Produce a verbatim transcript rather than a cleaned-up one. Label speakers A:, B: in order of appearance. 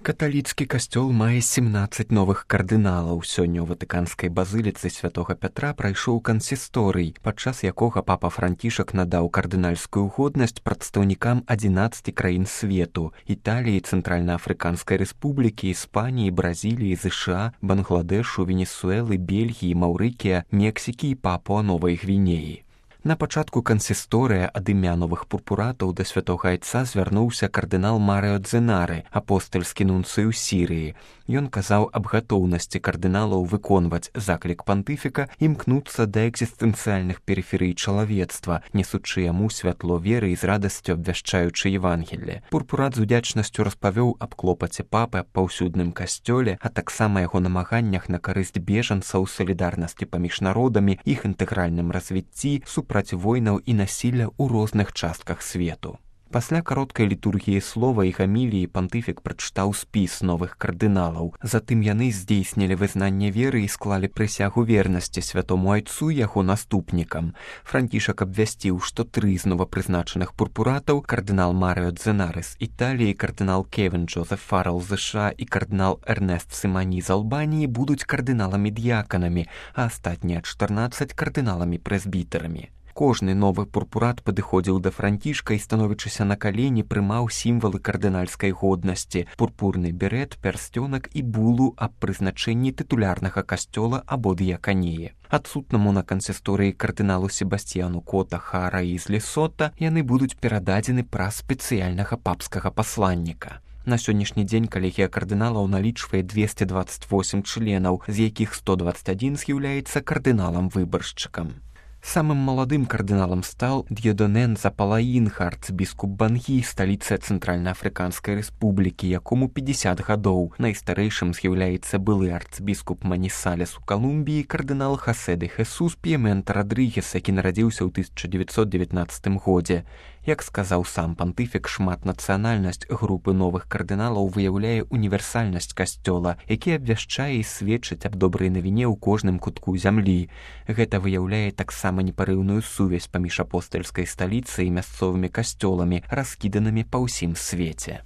A: Каталіцкі касцёл мае семнаццаць новых кардыналаў. Сёння ў ватыканскай базыліцы святога Пятра прайшоў кансісторый, падчас якога папа Францішак надаў кардынальскую годнасць прадстаўнікам адзінаццаці краін свету: Італіі, Цэнтральна-Афрыканскай рэспублікі, Іспаніі, Бразіліі, ЗША, Бангладэшу, Венесуэлы, Бельгіі, Маўрыкія, Мексікі і Папуа-Новай Гвінеі. На пачатку кансісторыя ад імя новых пурпуратаў да святога айца звярнуўся кардынал Марыо Дзенары, апостальскі нунцый у Сірыі. Ён казаў аб гатоўнасці кардыналаў выконваць заклік пантыфіка, імкнуцца да экзістэнцыяльных перыферый чалавецтва, несучы яму святло веры і з радасцю абвяшчаючы Евангелле. Пурпурат з удзячнасцю распавёў аб клопаце папы аб паўсюдным касцёле, а таксама яго намаганнях на карысць бежанцаў, салідарнасці паміж народамі, іх інтэгральным развіцці, супраць войнаў і насілля ў розных частках свету. Пасля кароткай літургіі слова і гаміліі пантыфік прачытаў спіс новых кардыналаў. Затым яны здзейснілі вызнанне веры і склалі прысягу вернасці святому айцу і яго наступнікам. Францішак абвясціў, што тры з новапрызначаных пурпуратаў, кардынал Марыо Дзенары з Італіі, кардынал Кевін Джозеф Фаррелл з ЗША і кардынал Эрнест Сімані з Албаніі будуць кардыналамі-д'яканамі, а астатнія чатырнаццаць кардыналамі-прэзбітарамі. Кожны новы пурпурат падыходзіў да Францішка і, становячыся на калені, прымаў сімвалы кардынальскай годнасці: пурпурны берэт, пярсцёнак і булу аб прызначэнні тытулярнага касцёла або д'яканіі. Адсутнаму на кансісторыі кардыналу Себасцьяну Кота Хара і з Лесота яны будуць перададзены праз спецыяльнага папскага пасланніка. На сённяшні дзень калегія кардыналаў налічвае двесце дваццаць восем членаў, з якіх сто дваццаць адзін з'яўляецца кардыналам-выбаршчыкам. Самым маладым кардыналам стаў Д'едонен Запалаінха, арцыбіскуп Бангі, сталіцы Цэнтральна-Афрыканскай рэспублікі, якому пятьдесят гадоў. Найстарэйшым з'яўляецца былы арцыбіскуп Манісалес у Калумбіі, кардынал Хасе де Хесус П'емента Радрыгес, які нарадзіўся ў тысяча дзевяцьсот дзевятнаццатым годзе. Як сказаў сам пантыфік, шматнацыянальнасць групы новых кардыналаў выяўляе універсальнасць касцёла, які абвяшчае і сведчыць аб добрай навіне ў кожным кутку зямлі. Гэта выяўляе таксама непарыўную сувязь паміж апостальскай сталіцай і мясцовымі касцёламі, раскіданымі па ўсім свеце.